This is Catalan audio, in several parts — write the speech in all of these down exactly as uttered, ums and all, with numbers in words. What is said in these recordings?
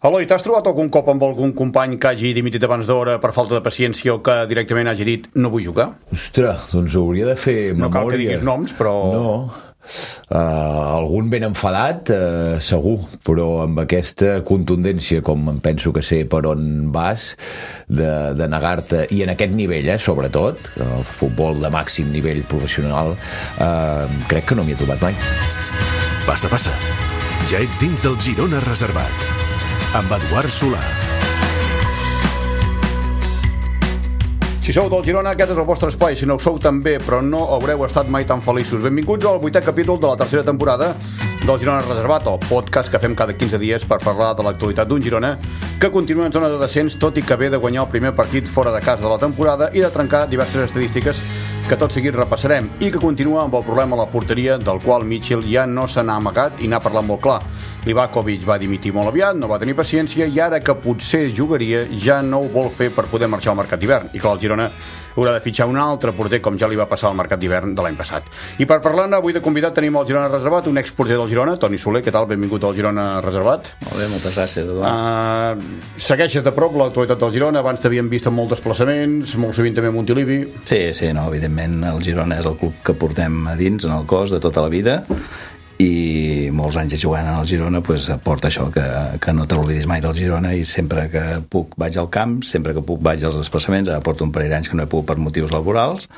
Eloi, t'has trobat algun cop amb algun company que hagi dimitit abans d'hora per falta de paciència o que directament hagi dit no vull jugar? Ostres, doncs hauria de fer memòria. No cal que diguis noms, però... No, uh, algun ben enfadat, uh, segur, però amb aquesta contundència, com em penso que sé per on vas, de, de negar-te, i en aquest nivell, eh, sobretot, el futbol de màxim nivell professional, uh, crec que no m'hi he trobat mai. Passa, passa. Ja ets dins del Girona Reservat. Amb Eduard Solà. Si sou del Girona, aquest és el vostre espai. Si no ho sou també, però no haureu estat mai tan feliços. Benvinguts al vuitè capítol de la tercera temporada del Girona Reservat, el podcast que fem cada quinze dies per parlar de l'actualitat d'un Girona que continua en zona de descens, tot i que ve de guanyar el primer partit fora de casa de la temporada i de trencar diverses estadístiques que tot seguit repassarem, i que continua amb el problema a la porteria, del qual Mitchell ja no se n'ha amagat i n'ha parlat molt clar. Livakovic va dimitir molt aviat, no va tenir paciència, i ara que potser jugaria ja no ho vol fer per poder marxar al mercat d'hivern. I clar, el Girona haurà de fitxar un altre porter, com ja li va passar al mercat d'hivern de l'any passat. I per parlar-ne, avui de convidat tenim al Girona Reservat un exporter del Girona, Toni Soler. Què tal? Benvingut al Girona Reservat. Molt bé, moltes gràcies, Eduard. Uh, segueixes de prop l'actualitat del Girona, abans t'havíem vist en molts desplaçaments, molt sovint també a Montilivi. Sí, sí, no, evidentment el Girona és el club que portem a dins, en el cos, de tota la vida, i molts anys jugant al Girona pues, aporta això, que, que no te l'oblidis mai del Girona, i sempre que puc vaig al camp, sempre que puc vaig als desplaçaments. Ara porto un parell d'anys que no he pogut per motius laborals,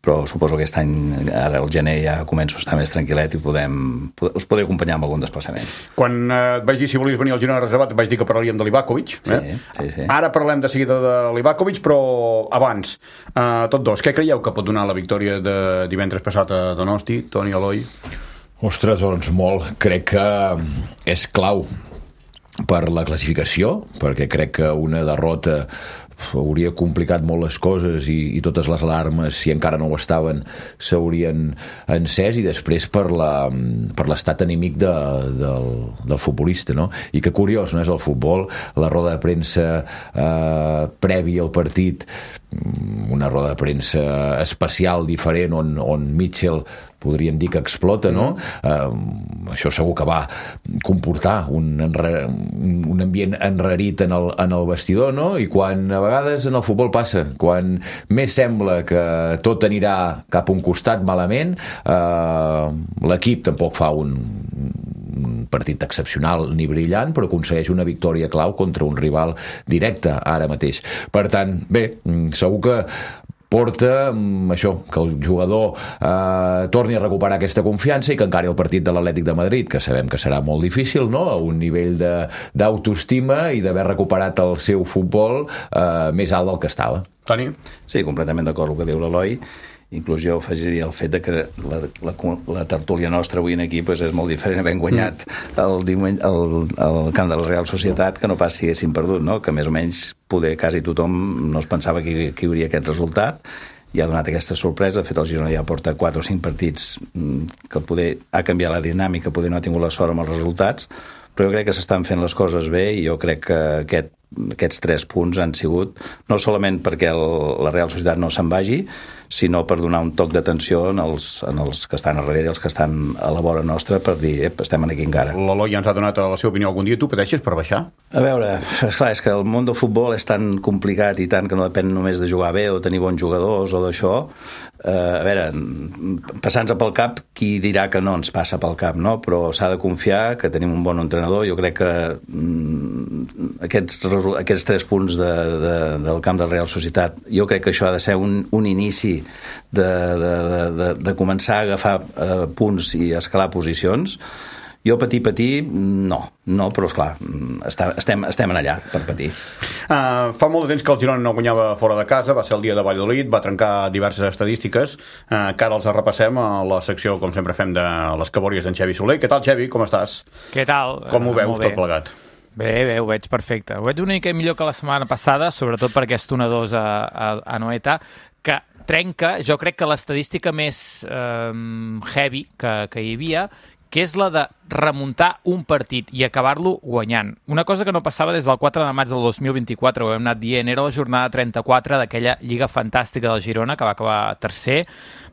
però suposo que aquest any, ara al gener, ja començo a estar més tranquil·let i podem, us podré acompanyar amb algun desplaçament. Quan eh, et vaig dir si volies venir al Girona Reservat, et vaig dir que parlaríem de Livakovic. Eh? Sí, sí, sí. Ara parlem de seguida de Livakovic, però abans, eh, tots dos, què creieu que pot donar la victòria de divendres passat a Donosti, Toni, Eloi? Ostres, doncs molt. Crec que és clau per la classificació, perquè crec que una derrota hauria complicat molt les coses i, i totes les alarmes, si encara no ho estaven, s'haurien encès, i després per la, per l'estat anímic de, del, del futbolista, no? I que curiós, no és el futbol, la roda de premsa eh, prèvia al partit, una roda de premsa especial, diferent, on, on Mitchell podríem dir que explota, no? Mm. Uh, això segur que va comportar un, enre... un ambient enrarit en el, en el vestidor, no? I quan a vegades en el futbol passa, quan més sembla que tot anirà cap a un costat malament, uh, l'equip tampoc fa un, un partit excepcional ni brillant, però aconsegueix una victòria clau contra un rival directe ara mateix. Per tant, bé, segur que porta això, que el jugador eh, torni a recuperar aquesta confiança i que encari el partit de l'Atlètic de Madrid, que sabem que serà molt difícil, no? A un nivell de, d'autoestima i d'haver recuperat el seu futbol eh, més alt del que estava. Toni? Sí, completament d'acord amb el que diu l'Eloi. Inclús jo afegiria el fet de que la, la, la tertúlia nostra avui aquí pues, és molt diferent, havent guanyat el, diumenge, el, el camp de la Real Societat, que no pas si haguéssim perdut, no? Que més o menys poder quasi tothom no es pensava que, que hi hauria aquest resultat, i ha donat aquesta sorpresa. De fet, el Girona ja porta quatre o cinc partits que poder ha canviat la dinàmica, poder no ha tingut la sort amb els resultats, però jo crec que s'estan fent les coses bé, i jo crec que aquest, aquests tres punts han sigut no solament perquè el, la Real Societat no se'n vagi, sinó per donar un toc d'atenció en els, en els que estan a darrere i els que estan a la vora nostra, per dir, ep, estem aquí encara. L'Eloi ja ens ha donat la seva opinió algun dia. Tu pateixes per baixar? A veure, esclar, és que el món del futbol és tan complicat i tant que no depèn només de jugar bé o tenir bons jugadors o d'això. Uh, a veure, passant-se pel cap, qui dirà que no ens passa pel cap, no? Però s'ha de confiar que tenim un bon entrenador. Jo crec que mm, aquests, aquests tres punts de, de, del camp de la Real Societat, jo crec que això ha de ser un, un inici de, de, de, de començar a agafar uh, punts i escalar posicions. Jo patir, patir, no, no, però esclar, està, estem, estem en allà per patir. Uh, fa molt de temps que el Girona no guanyava fora de casa, va ser el dia de Valladolid, va trencar diverses estadístiques, uh, que ara els repassem a la secció, com sempre fem, de les cabòries d'en Xevi Soler. Què tal, Xevi? Com estàs? Què tal? Com ho veus, uh, tot plegat? Bé, bé, ho veig perfecte. Ho veig una mica millor que la setmana passada, sobretot per aquest un a dos a, a, a Noeta, que trenca, jo crec que l'estadística més eh, heavy que, que hi havia, que és la de remuntar un partit i acabar-lo guanyant. Una cosa que no passava des del quatre de maig del dos mil vint-i-quatre, ho hem anat dient, era la jornada trenta-quatre d'aquella Lliga Fantàstica del Girona, que va acabar tercer.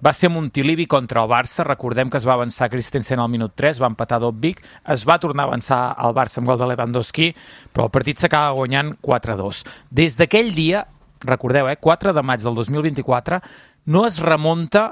Va ser Montilivi contra el Barça, recordem que es va avançar Christensen al minut tres, va empatar Dobbik, es va tornar a avançar al Barça amb gol de Lewandowski, però el partit s'acaba guanyant quatre a dos. Des d'aquell dia, recordeu, eh, quatre de maig del dos mil vint-i-quatre, no es remunta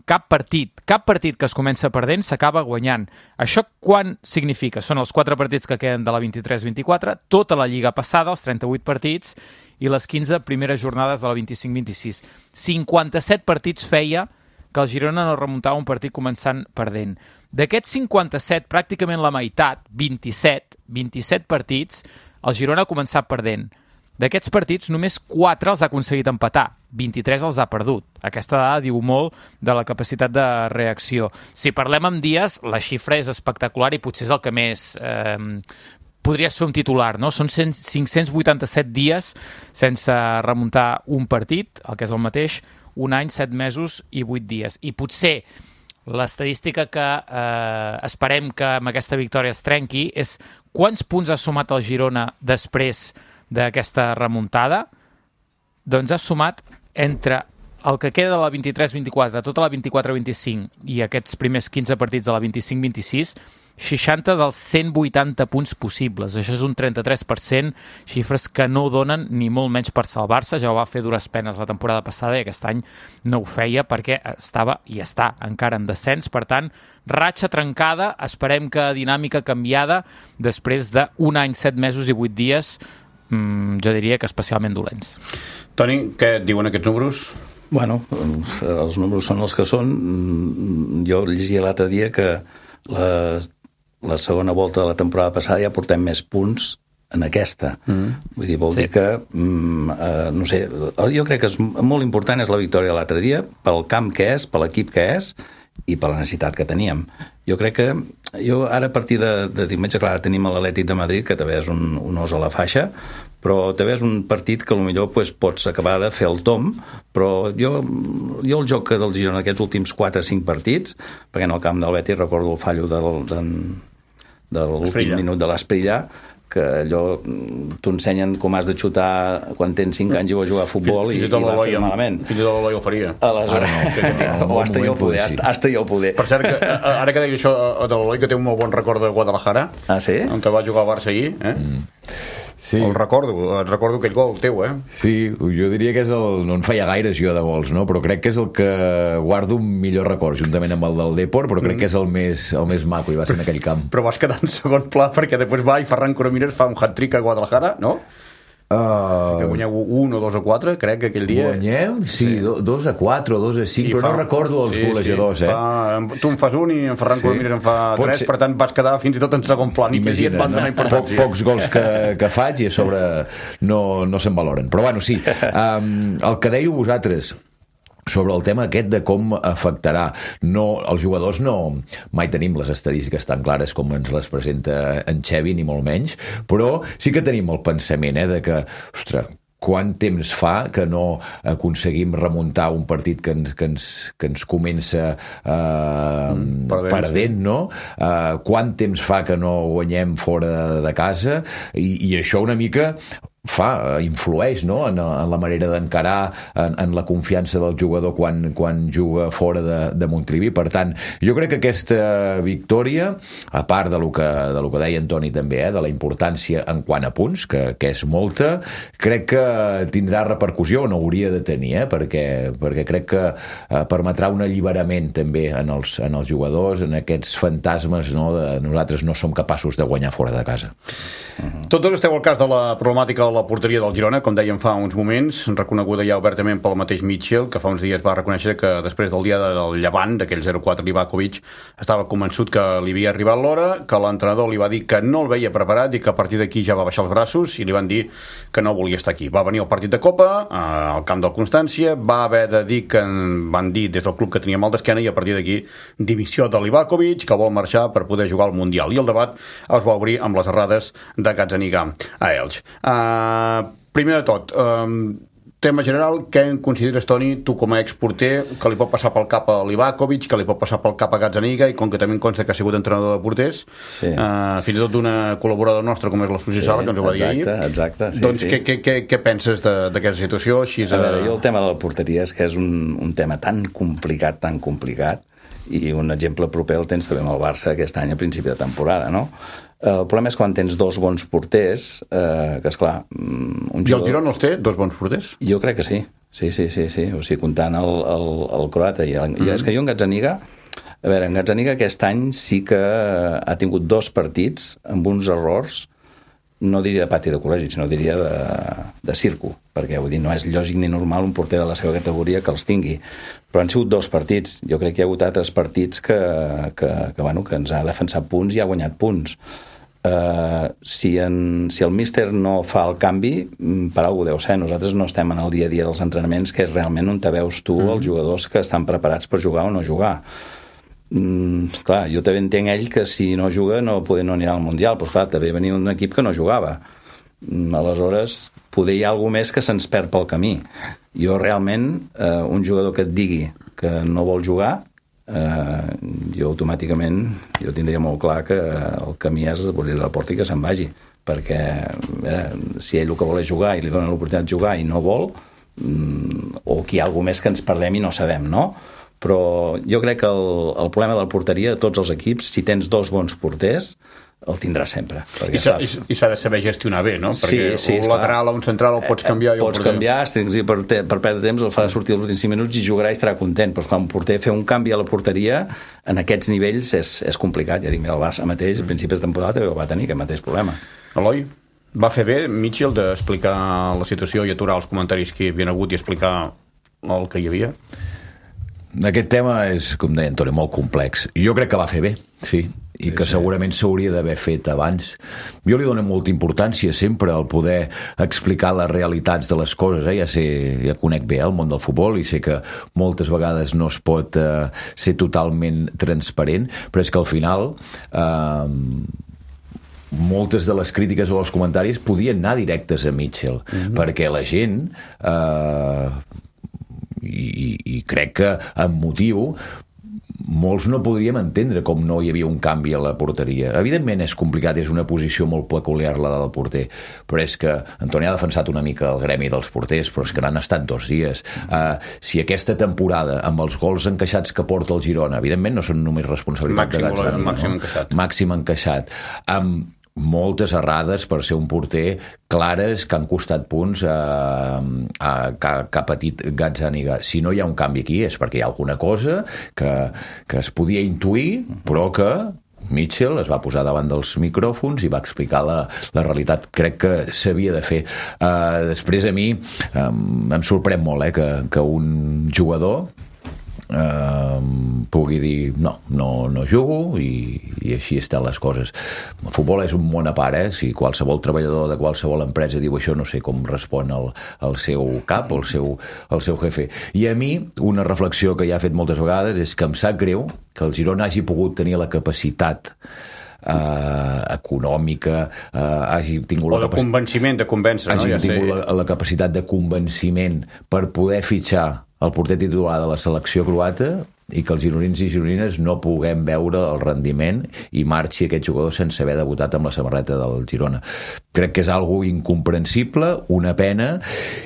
cap partit. Cap partit que es comença perdent s'acaba guanyant. Això quan significa? Són els quatre partits que queden de la vint-i-tres vint-i-quatre, tota la lliga passada, els trenta-vuit partits, i les quinze primeres jornades de la vint-i-cinc vint-i-sis. cinquanta-set partits feia que el Girona no remuntava un partit començant perdent. D'aquests cinquanta-set, pràcticament la meitat, vint-i-set, vint-i-set partits, el Girona ha començat perdent. D'aquests partits, només quatre els ha aconseguit empatar, vint-i-tres els ha perdut. Aquesta dada diu molt de la capacitat de reacció. Si parlem amb dies, la xifra és espectacular i potser és el que més eh, podries fer un titular, no? Són cinc-cents vuitanta-set dies sense remuntar un partit, el que és el mateix, un any, set mesos i vuit dies. I potser l'estadística que eh, esperem que amb aquesta victòria es trenqui és quants punts ha sumat el Girona després d'aquesta remuntada. Doncs ha sumat entre el que queda de la vint-i-tres vint-i-quatre, tota la vint-i-quatre vint-i-cinc i aquests primers quinze partits de la vint-i-cinc vint-i-sis, seixanta dels cent vuitanta punts possibles. Això és un trenta-tres per cent, xifres que no donen ni molt menys per salvar-se. Ja ho va fer dures penes la temporada passada i aquest any no ho feia perquè estava i està encara en descens. Per tant, ratxa trencada, esperem que dinàmica canviada després d'un any, set mesos i vuit dies, jo diria que especialment dolents. Toni, què et diuen aquests números? Bueno, els números són els que són. Jo llegia l'altre dia que la, la segona volta de la temporada passada ja portem més punts en aquesta. Mm. Vull dir, vol sí. dir que mm, eh, no sé, jo crec que és molt important és la victòria de l'altre dia, pel camp que és, per l'equip que és i per la necessitat que teníem. Jo crec que jo ara a partir de, de diumenge, clar, tenim l'Atlètic de Madrid, que també és un, un os a la faixa, però també és un partit que potser pues, pots acabar de fer el tom, però jo, jo el joc del Girona aquests últims quatre o cinc partits, perquè en el camp del Betis recordo el fallo del, del, de l'últim minut de l'Esprilla, que allò t'ho ensenyen com has de xutar quan tens cinc anys i vas jugar a futbol i, i va fer malament. Fins i tot l'Eloi ho faria. Aleshores, no, o hasta jo el poder, hasta, hasta jo el poder. Per cert, que, ara que deia això de l'Eloi, que té un molt bon record de Guadalajara, ah, sí? on va jugar al Barça ahir, eh? Mm. Sí. El recordo, el recordo aquell gol teu, eh? Sí, jo diria que és el... No en feia gaires jo de gols, no? Però crec que és el que guardo un millor record, juntament amb el del Depor, però crec mm. que és el més, el més maco i va ser en aquell camp. Però vas quedar en segon pla perquè després va i Ferran Coromines fa un hat-trick a Guadalajara, no? Uh, que guanyeu un o dos a quatre, crec que aquell dia guanyeu, sí, sí. Do, dos a quatre o dos a cinc, I però fa... no recordo els sí, golejadors, sí. eh? Fa... tu en fas un i en Ferran sí. Coromines en fa Pot tres ser... per tant vas quedar fins i tot en segon plan. Imagina, i aquell dia et van donar importància. Poc, pocs gols que, que faig i a sobre no, no se'n valoren, però bueno, sí, um, el que dèieu vosaltres sobre el tema aquest de com afectarà, no, els jugadors no, mai tenim les estadístiques tan clares com ens les presenta en Xevi, ni molt menys, però sí que tenim el pensament, eh, de que, ostres, quant temps fa que no aconseguim remuntar un partit que ens, que ens, que ens comença eh, mm, perdent, perdent no? Eh, quant temps fa que no guanyem fora de, de casa i, i això una mica fa, influeix, no? en, en la manera d'encarar, en, en la confiança del jugador quan, quan juga fora de, de Montilivi. Per tant, jo crec que aquesta victòria, a part de lo que, de lo que deia Antoni també, eh, de la importància en quant a punts, que, que és molta, crec que tindrà repercussió, o no hauria de tenir, eh, perquè, perquè crec que eh, permetrà un alliberament també en els, en els jugadors, en aquests fantasmes, no, de nosaltres no som capaços de guanyar fora de casa. Uh-huh. Tots dos esteu al cas de la problemàtica de la porteria del Girona, com dèiem fa uns moments, reconeguda ja obertament pel mateix Mitchell, que fa uns dies va reconèixer que després del dia del Llevant, d'aquell zero quatre Livakovic, estava convençut que li havia arribat l'hora, que l'entrenador li va dir que no el veia preparat i que a partir d'aquí ja va baixar els braços i li van dir que no volia estar aquí. Va venir el partit de Copa, al camp del Constància, va haver de dir que van dir des del club que tenia mal d'esquena i a partir d'aquí dimissió de Livakovic, que vol marxar per poder jugar al Mundial. I el debat es va obrir amb les errades de Gazzaniga a Elx. Uh, primer de tot, um, tema general, què en consideres, Toni, tu com a exporter, que li pot passar pel cap a Livakovic, que li pot passar pel cap a Gazzaniga, i com que també em consta que ha sigut entrenador de porters, sí. uh, fins i tot d'una col·laboradora nostra com és la Susi sí, Sala, que ens ho va dir ahir. Exacte, sí, doncs sí. Què, què, què, què penses d'aquesta situació? Així, a veure, jo el tema de la porteria és que és un, un tema tan complicat, tan complicat, i un exemple proper el tens també amb el Barça aquest any a principi de temporada, no? El problema és quan tens dos bons porters, eh, que esclar... Un jugador... I el Girona els té, dos bons porters? Jo crec que sí, sí, sí, sí, sí. O sigui, comptant el, el, el croata i el... Mm-hmm. És que jo en Gazzaniga, a veure, en Gazzaniga aquest any sí que ha tingut dos partits amb uns errors, no diria de pati de col·legi, sinó diria de, de circo, perquè vull dir, no és lògic ni normal un porter de la seva categoria que els tingui, però han sigut dos partits. Jo crec que hi ha hagut altres partits que, que, que, bueno, que ens ha defensat punts i ha guanyat punts. Uh, si, en, si el míster no fa el canvi, per alguna cosa deu ser. Nosaltres no estem en el dia a dia dels entrenaments, que és realment on te veus tu mm. els jugadors que estan preparats per jugar o no jugar. Mm, clar, jo també entenc ell que si no juga no, poder no anirà al Mundial, però clar, també venia un equip que no jugava. Mm, aleshores, poder hi ha alguna més que se'ns perd pel camí. Jo realment, eh, un jugador que et digui que no vol jugar, eh, jo automàticament jo tindria molt clar que el camí és obrir la porta i que se'n vagi, perquè eh, si ell el que vol és jugar i li dona l'oportunitat de jugar i no vol, mm, o que hi ha alguna més que ens perdem i no sabem, no? Però jo crec que el, el problema de la porteria de tots els equips, si tens dos bons porters, el tindrà sempre. I s'ha, i s'ha de saber gestionar bé, no? Perquè sí, sí, un lateral clar. O un central el pots canviar. Eh, pots canviar, per, per perdre temps el farà sortir els últims cinc minuts i jugarà i estarà content, però quan un porter fer un canvi a la porteria en aquests nivells és, és complicat. Ja dic, mira, el Barça mateix, a principis de temporada també va tenir aquest mateix problema. Eloi, va fer bé Mitchell d'explicar la situació i aturar els comentaris que hi havia hagut i explicar el que hi havia? Aquest tema és, com deia Antoni, molt complex. Jo crec que va fer bé, sí, i sí, que sí. segurament s'hauria d'haver fet abans. Jo li dono molta importància sempre al poder explicar les realitats de les coses. Eh? Ja, sé, ja conec bé el món del futbol i sé que moltes vegades no es pot eh, ser totalment transparent, però és que al final... Eh, moltes de les crítiques o els comentaris podien anar directes a Mitchell, mm-hmm. perquè la gent... Eh, I, i crec que amb motiu molts no podríem entendre com no hi havia un canvi a la porteria. Evidentment és complicat, és una posició molt peculiar la del porter, però és que Antoni ha defensat una mica el gremi dels porters, però és que n'han estat dos dies. Uh, si aquesta temporada, amb els gols encaixats que porta el Girona, evidentment no són només responsabilitat màxim, de Gazzaniga, màxim no? encaixat. Màxim encaixat. Amb moltes errades per ser un porter clares que han costat punts a, a, que, que ha patit Gazzaniga. Si no hi ha un canvi aquí és perquè hi ha alguna cosa que, que es podia intuir, però que Mitchell es va posar davant dels micròfons i va explicar la, la realitat. Crec que s'havia de fer. Uh, després a mi um, em sorprèn molt eh, que, que un jugador Uh, pugui dir no, no, no jugo i, i així estan les coses. El futbol és un món a part, eh? Si qualsevol treballador de qualsevol empresa diu això, no sé com respon el, el seu cap o el seu, el seu jefe. I a mi una reflexió que ja he fet moltes vegades és que em sap greu que el Girona hagi pogut tenir la capacitat Uh, econòmica, uh, hagi tingut o de capac... convenciment, de convèncer, hagi no? Ja tingut sé. la, la capacitat de convenciment per poder fitxar el porter titular de la selecció croata i que els gironins i gironines no puguem veure el rendiment i marxi aquest jugador sense haver debutat amb la samarreta del Girona. Crec que és algo incomprensible, una pena,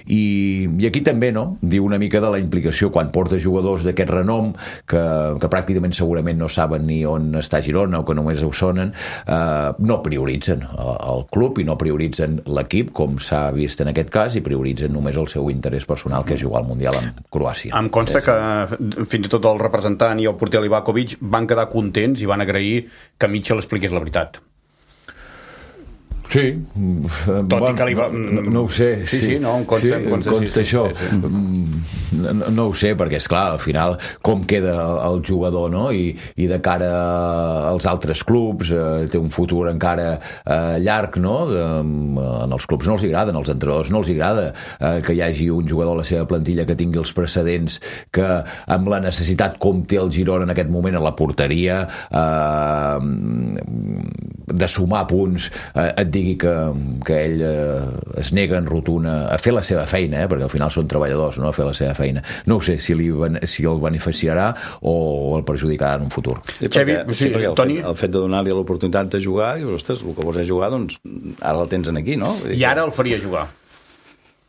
i, i aquí també, no?, diu una mica de la implicació quan porta jugadors d'aquest renom que, que pràcticament segurament no saben ni on està Girona o que només ho sonen, eh, no prioritzen el, el club i no prioritzen l'equip, com s'ha vist en aquest cas, i prioritzen només el seu interès personal, que és jugar al Mundial amb Croàcia. Em consta sí, sí. que fins i tot el representant i el porter Livakovic van quedar contents i van agrair que Mitchell expliqués la veritat. Sí. Tot bueno, i que li va... no, no ho sé. Sí, sí, sí no, em consta, sí, em consta, em consta sí, això. Sí, sí. no, no ho sé, perquè és clar, al final com queda el, el jugador, no? I, i de cara als altres clubs eh, té un futur encara eh, llarg, no? De, en els clubs no els agrada, als entrenadors no els agrada eh, que hi hagi un jugador a la seva plantilla que tingui els precedents que amb la necessitat com té el Girona en aquest moment a la porteria eh, de sumar punts eh, et digui que, que ell eh, es nega en rotuna a fer la seva feina, eh, perquè al final són treballadors, no? A fer la seva feina. No ho sé si, li, si el beneficiarà o el perjudicarà en un futur. Sí, perquè, Xavi, sí, perquè el, Toni... fet, el fet de donar-li l'oportunitat de jugar, dius, ostres, el que vols és jugar, doncs ara el tens aquí, no? I ara el faria jugar.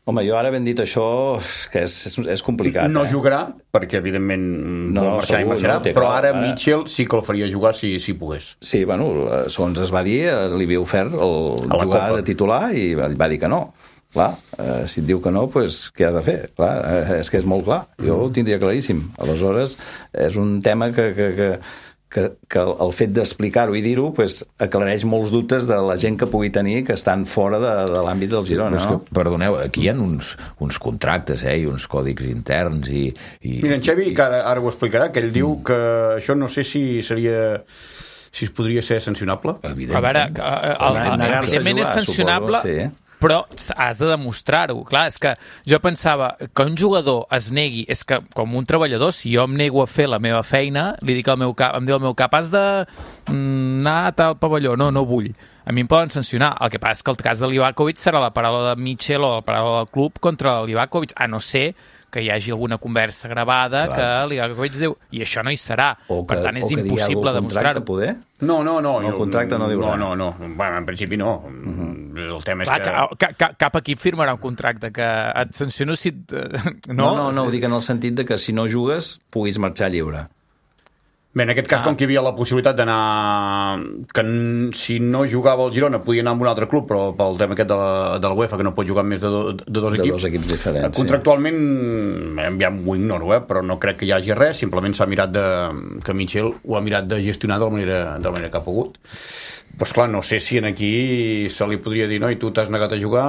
Home, jo ara ben dit això, que és, és, és complicat. No eh? jugarà, perquè evidentment no, vol marxar i marxarà, no, però clar, ara, ara Mitchell sí que el faria jugar si, si pogués. Sí, bueno, segons es va dir, li havia ofert el jugar Copa de titular i va dir que no. Clar, eh, si et diu que no, doncs què has de fer? Clar, eh, és que és molt clar. Jo ho tindria claríssim. Aleshores, és un tema que... que, que que, que el fet d'explicar-ho i dir-ho pues, aclareix molts dubtes de la gent que pugui tenir que estan fora de, de l'àmbit del Girona. Sí, no? que, perdoneu, aquí hi ha uns, uns contractes eh, i uns còdics interns i... i Mira, en Xavi, que ara, ara ho explicarà, que ell diu que això no sé si seria... si es podria ser sancionable. Evidentment. A veure, el, el, el, evidentment és sancionable, suposo, sí. Però has de demostrar-ho. Clar, és que jo pensava que un jugador es negui, és que com un treballador, si jo em nego a fer la meva feina, li dic al meu cap, em diu al meu cap, has de mm, anar a tal pavelló, no, no vull. A mi em poden sancionar. El que passa és que el cas de Livakovic serà la paraula de Mitchell o la paraula del club contra Livakovic, a no ser que hi hagi alguna conversa gravada clar. Que Livakovic diu, i això no hi serà. O que, per tant, és o que impossible demostrar-ho. Poder? No, no, no. El contracte no diu no, res. no, no. Bueno, en principi no. Uh-huh. El tema és clar, que... que... Cap equip firmarà un contracte que et sanciono si... Et... No, no, no, no, ho dic en el sentit de que si no jugues puguis marxar lliure. Bé, en aquest cas, ah. com que hi havia la possibilitat d'anar... que si no jugava el Girona podia anar amb un altre club, però pel tema aquest de la, de la UEFA, que no pot jugar amb més de, do, de dos de equips... dos equips diferents, contractualment, sí. Ja ho ignoro, eh? Però no crec que hi hagi res, simplement s'ha mirat de... que Mitchell ho ha mirat de gestionar de la manera, de la manera que ha pogut. Doncs clar, no sé si en aquí se li podria dir, no, i tu t'has negat a jugar.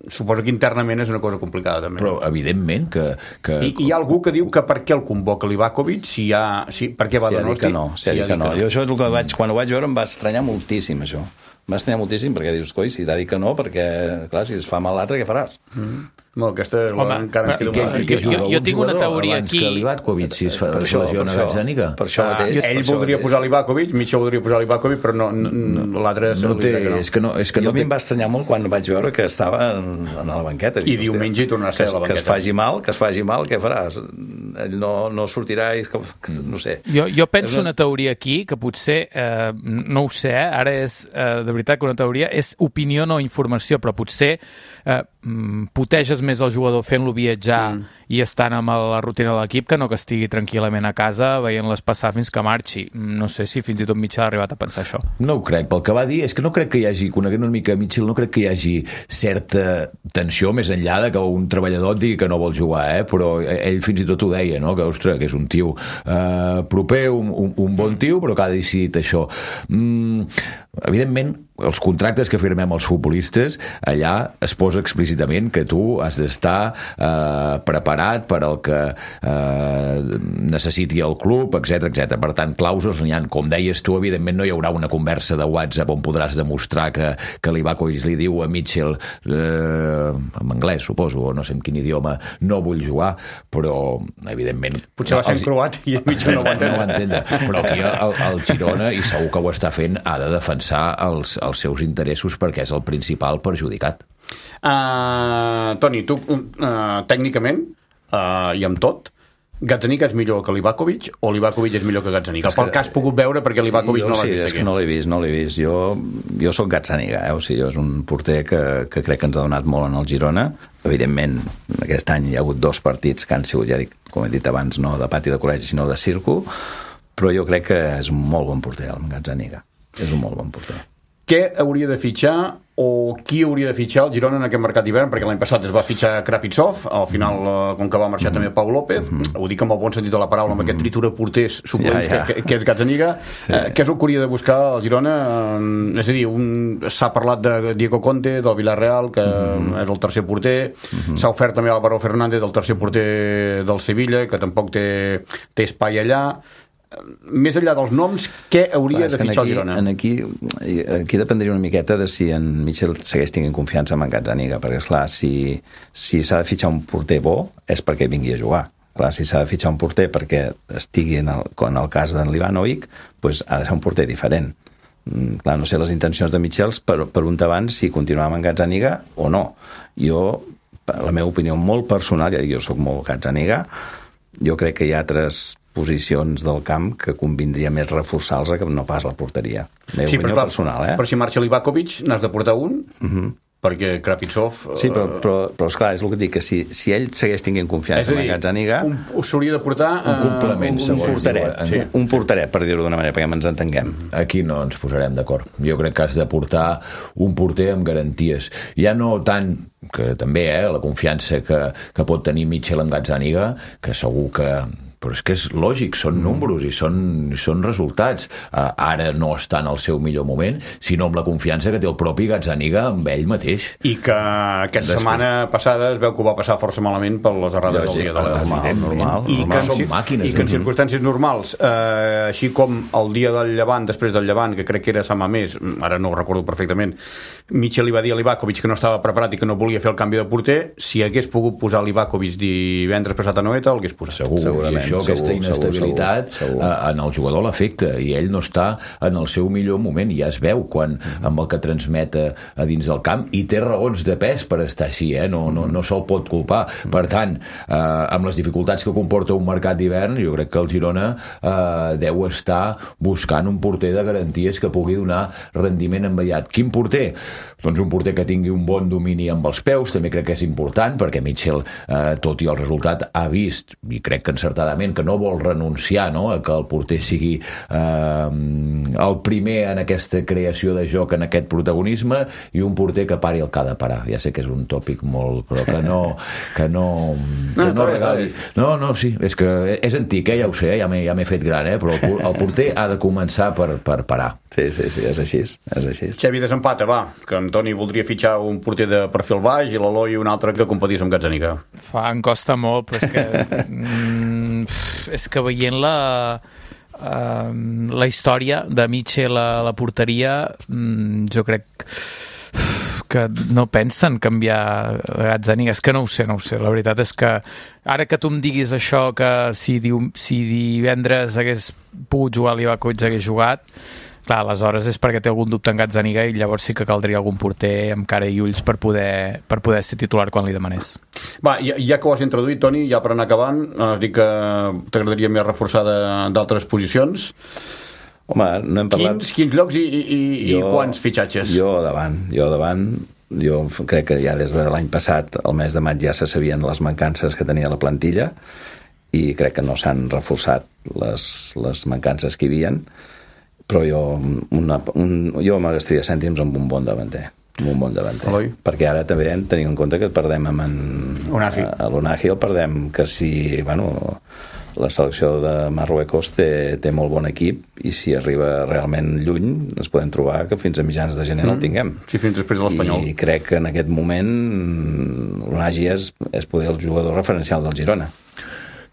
Suposo que internament és una cosa complicada, també. Però, evidentment, que... que... I hi ha algú que diu que per què el convoca Livakovic, si hi ha... Si, per què va si donar que no, si, si ha dit que no. Jo això és el que vaig... Quan ho vaig veure em va estranyar moltíssim, això. Em va estranyar moltíssim, perquè dius, coi, si t'ha dit que no, perquè, clar, si es fa mal l'altre, què faràs? Mm. No, aquesta és la... Home, encara ens queda que, una... que, jo, jo, jo tinc una teoria aquí... Que Livakovic, si es fa per això, lesiona Gazzaniga. Per això mateix. Ah, ell voldria posar Livakovic, Mitchell voldria posar Livakovic, però no, no, no l'altre... No té, no. És que no, és que jo no a mi té... em va estranyar molt quan vaig veure que estava en, en la banqueta. I diumenge hi tornarà a ser a la banqueta. Que es faci mal, que es faci mal, què faràs? Ell no, no sortirà i... Que, no sé. Jo, jo penso una teoria aquí, que potser, eh, no ho sé, ara és eh, de veritat que una teoria, és opinió no informació, però potser eh, puteges més el jugador fent-lo viatjar mm. i estant amb la rutina de l'equip que no que estigui tranquil·lament a casa veient-les passar fins que marxi. No sé si fins i tot Mitchell ha arribat a pensar això. No ho crec. Pel que va dir, és que no crec que hi hagi, coneguent una mica Mitchell, no crec que hi hagi certa tensió més enllà de que un treballador et digui que no vol jugar, eh? Però ell fins i tot ho deia, no? Que, ostres, que és un tio eh, proper, un, un, un bon tio, però que ha decidit això. Mm, evidentment, els contractes que firmem els futbolistes, allà es posa explícitament que tu has d'estar eh, preparat per al que eh, necessiti el club, etcètera, etcètera. Per tant, clàusules n'hi ha. Com deies tu, evidentment no hi haurà una conversa de WhatsApp on podràs demostrar que, que Livakovic li diu a Mitchell eh, en anglès, suposo, o no sé en quin idioma, no vull jugar, però evidentment... Potser va ser en croat i Mitchell no ho entén. No ho entén. Però aquí el, el Girona, i segur que ho està fent, ha de defensar els els seus interessos perquè és el principal perjudicat. Uh, Toni, tu uh, tècnicament uh, i amb tot, Gazzaniga és millor que Livakovic o Livakovic és millor que Gazzaniga? Pel que has pogut veure, perquè Livakovic jo, no l'ha sí, vist és aquí. Que no l'he vist, no l'he vist. Jo, jo soc Gazzaniga, eh? O sigui, és un porter que, que crec que ens ha donat molt en el Girona. Evidentment, aquest any hi ha hagut dos partits que han sigut, ja dic, com he dit abans, no de pati de col·legi, sinó de circo, però jo crec que és un molt bon porter, el Gazzaniga. És un molt bon porter. què hauria de fitxar o qui hauria de fitxar el Girona en aquest mercat d'hivern, perquè l'any passat es va fitxar Krapitsov, al final, com que va marxar mm-hmm. també Pau López, mm-hmm. ho dic amb el bon sentit de la paraula, amb mm-hmm. aquest tritura porters suplents ja, ja. Que, que és Gazzaniga, sí. eh, què és el que hauria de buscar el Girona? Eh, és a dir, un... s'ha parlat de Diego Conte, del Villarreal, que mm-hmm. és el tercer porter, mm-hmm. s'ha ofert també Álvaro Fernández, el tercer porter del Sevilla, que tampoc té, té espai allà. Més enllà dels noms, què hauria Clar, de fitxar aquí, el Girona? Aquí, aquí dependria una miqueta de si en Mitchell segueix tinguent confiança en Gazzaniga, perquè esclar, si, si s'ha de fitxar un porter bo és perquè vingui a jugar. Clar, si s'ha de fitxar un porter perquè estigui en el, en el cas d'en Livanovic, doncs ha de ser un porter diferent. Clar, no sé les intencions de Mitchell per, per un abans si continuava amb Gazzaniga o no. Jo, la meva opinió molt personal, ja dic, jo soc molt Gazzaniga, jo crec que hi ha altres posicions del camp que convindria més reforçar-los que no pas la porteria. La meva sí, opinió però, personal, eh? Però si marxa Livakovic, n'has de portar un? Uh-huh. Perquè Krapitsov... Sí, però, però, però esclar, és el que dic, que si, si ell segueix tinguent confiança en Gazzaniga... S'hauria de portar... Un complement, uh, un, un porteret, sí. un porteret, per dir-ho d'una manera, perquè ens entenguem. Aquí no ens posarem d'acord. Jo crec que has de portar un porter amb garanties. Ja no tant que també, eh, la confiança que, que pot tenir Mitchell en Gazzaniga, que segur que... però és que és lògic, són números i són, són resultats. Uh, ara no està en el seu millor moment, sinó amb la confiança que té el propi Gazzaniga amb ell mateix. I que aquesta Després... setmana passada es veu que ho va passar força malament per les errades del dia de la normal, normal, I que en, màquines, i que en circumstàncies normals, eh, així com el dia del Llevant, després del Llevant, que crec que era Sant Mamés, ara no ho recordo perfectament, Mitchell li va dir a Livakovic que no estava preparat i que no volia fer el canvi de porter. Si hagués pogut posar Livakovic divendres passat a Noeta, el hagués posat. Segur, segurament. Això, segur, aquesta inestabilitat segur, segur, segur. en el jugador l'afecta i ell no està en el seu millor moment, ja es veu quan amb el que transmet a, a dins del camp, i té raons de pes per estar així, eh? no, no, no se'l pot culpar. Per tant, eh, amb les dificultats que comporta un mercat d'hivern, jo crec que el Girona eh, deu estar buscant un porter de garanties que pugui donar rendiment immediat. Quin porter? Doncs un porter que tingui un bon domini amb els peus, també crec que és important, perquè Mitchell, eh, tot i el resultat, ha vist, i crec que encertadament, que no vol renunciar, no?, a que el porter sigui eh, el primer en aquesta creació de joc, en aquest protagonisme, i un porter que pari el que ha de parar. Ja sé que és un tòpic molt... però que no... que no, que no, no regali... No, no, sí, és que és antic, eh, ja ho sé, ja m'he ja m'he fet gran, eh, però el, el porter ha de començar per, per parar. Sí, sí, sí, és així, és així. Xavi, desempata, va, que en Toni voldria fitxar un porter de perfil baix i l'Eloi un altre que competís amb Gazzaniga. Fa, em costa molt, però és que mm, és que veient la uh, la història de Mitchell a la porteria, mm, jo crec que no pensen canviar Gazzaniga. És que no ho sé, no ho sé. La veritat és que ara que tu em diguis això, que si, diu, si divendres hagués pogut jugar a Livakovic, hagués jugat, clar, aleshores és perquè té algun dubte en Gazzaniga i llavors sí que caldria algun porter amb cara i ulls per poder, per poder ser titular quan li demanés. Va, ja, ja que ho has introduït, Toni, ja per anar acabant, has dit que t'agradaria més reforçar d'altres posicions. Home, no hem parlat... Quins, quins llocs i, i, jo, i quants fitxatges? Jo davant, jo davant, jo crec que ja des de l'any passat, el mes de maig, ja se sabien les mancances que tenia la plantilla i crec que no s'han reforçat les, les mancances que hi havien, però jo, una, un, jo m'agastaria cèntims amb un bon davanter. Amb un bon davanter. Eloi? Perquè ara també hem de tenir en compte que perdem amb en... Unagi. A l'Unagi el perdem, que si... Bueno, la selecció de Marruecos té, té molt bon equip i si arriba realment lluny ens podem trobar que fins a mitjans de gener mm. no el tinguem. Sí, fins després de l'Espanyol. I crec que en aquest moment l'Unagi és, és poder el jugador referencial del Girona.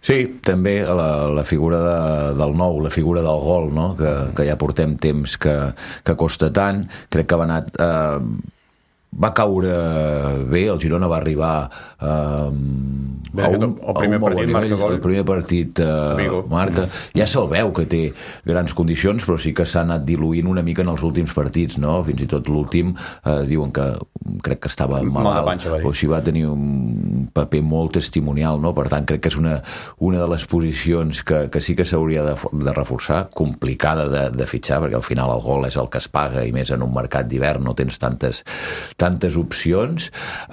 Sí, també la, la figura de, del nou, la figura del gol, no?, que, que ja portem temps que, que costa tant. Crec que va anar... Eh, va caure bé, el Girona va arribar eh, bé, a un, el primer a un partit marca gol. El primer partit eh, marca. Ja se'l veu que té grans condicions, però sí que s'ha anat diluint una mica en els últims partits, no? Fins i tot l'últim eh, diuen que crec que estava malalt, panxa, o si va tenir un paper molt testimonial, no? Per tant, crec que és una, una de les posicions que, que sí que s'hauria de, de reforçar, complicada de, de fitxar, perquè al final el gol és el que es paga, i més en un mercat d'hivern no tens tantes tantes opcions,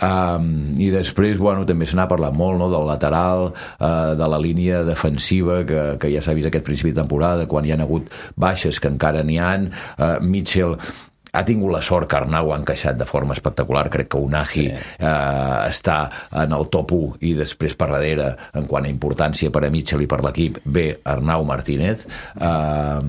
um, i després, bueno, també se n'ha parlat molt, no?, del lateral, uh, de la línia defensiva, que, que ja s'ha vist aquest principi de temporada, quan hi ha hagut baixes, que encara n'hi han. uh, Mitchell ha tingut la sort que Arnau ha encaixat de forma espectacular. Crec que Unai sí. eh, està en el top u i després per darrere, en quant a importància per a Mitchell i per l'equip, ve Arnau Martínez. Eh,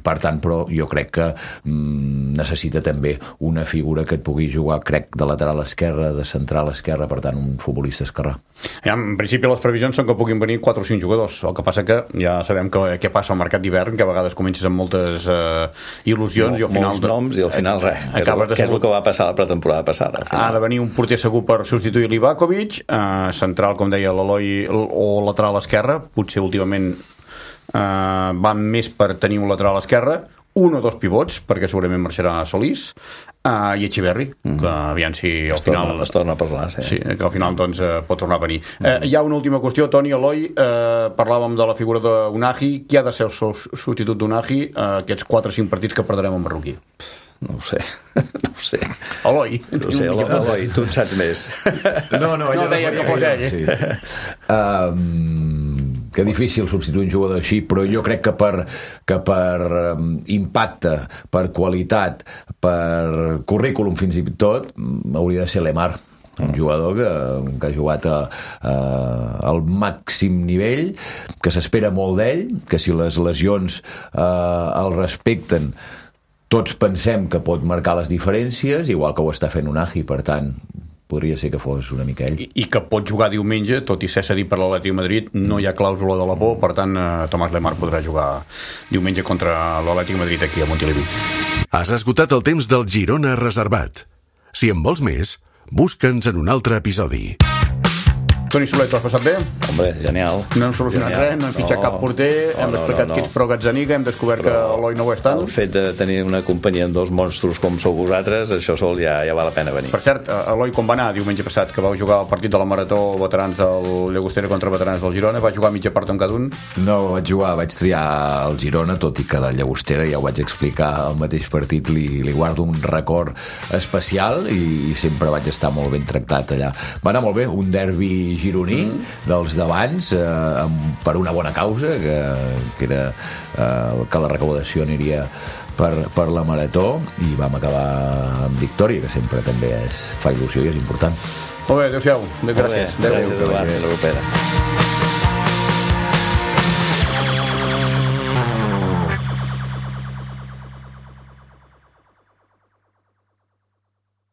per tant, però jo crec que mm, necessita també una figura que et pugui jugar, crec, de lateral esquerra, de central esquerra, per tant, un futbolista esquerrà. Ja, en principi les previsions són que puguin venir quatre o cinc jugadors, el que passa que ja sabem que, què passa al mercat d'hivern, que a vegades comences amb moltes eh, il·lusions no, i al final... Molts noms i al final res, que és, el, que és el que va passar la pretemporada passada. Ha de venir un porter segur per substituir l'Ivakovic, eh, central, com deia l'Eloi, o lateral esquerra, potser últimament eh, va més per tenir un lateral esquerra, un o dos pivots, perquè segurament marxarà Solís, uh, i Echeverri, mm. que aviam si al es final... Torna, es torna a parlar, sí. Sí, que al final doncs, uh, pot tornar a venir. Mm. Uh, hi ha una última qüestió, Toni, Eloi, uh, parlàvem de la figura d'Unai, qui ha de ser el substitut d'Unai uh, aquests quatre o cinc partits que perdrem amb Marroquí? No ho sé, no ho sé. Eloi. No ho sé, Eloi, tu en saps més. No, no, ella no deia que fos ell. Sí. Um, que difícil substituir un jugador així, però jo crec que per, que per um, impacte, per qualitat, per currículum fins i tot, hauria de ser Lemar, un jugador que, que ha jugat a, a, al màxim nivell, que s'espera molt d'ell, que si les lesions uh, el respecten, tots pensem que pot marcar les diferències, igual que ho està fent Unai, per tant, podria ser que fos una mica ell. I, i que pot jugar diumenge, tot i ser cedit per l'Atlètic de Madrid, no hi ha clàusula de la por, per tant, eh, Tomàs Lemar podrà jugar diumenge contra l'Atlètic de Madrid aquí a Montilivi. Has esgotat el temps del Girona reservat. Si en vols més, busca'ns en un altre episodi. Toni Soler, t'ho has passat bé? Hombre, genial. No hem solucionat genial. res, no hem fitxat no, cap porter, no, hem no, explicat no, no. qui ets pro Gazzaniga, hem descobert però que Eloi no ho és tant. El fet de tenir una companyia amb dos monstros com sou vosaltres, això sol ja, ja val la pena venir. Per cert, Eloi, com va anar diumenge passat, que vau jugar el partit de la Marató veterans del Llagostera contra veterans del Girona? Va jugar mitja part amb cada un? No, vaig jugar, vaig triar el Girona, tot i que del Llagostera, ja ho vaig explicar, el mateix partit li, li guardo un record especial i, i sempre vaig estar molt ben tractat allà. Va anar molt bé, un derbi gironí, mm. dels d'abans, eh, per una bona causa, que, que era eh, que la recaudació aniria per, per la Marató, i vam acabar amb victòria, que sempre també és, fa il·lusió i és important. Molt bé, adéu-siau. Gràcies. Gràcies, Eduard. Fins la propera.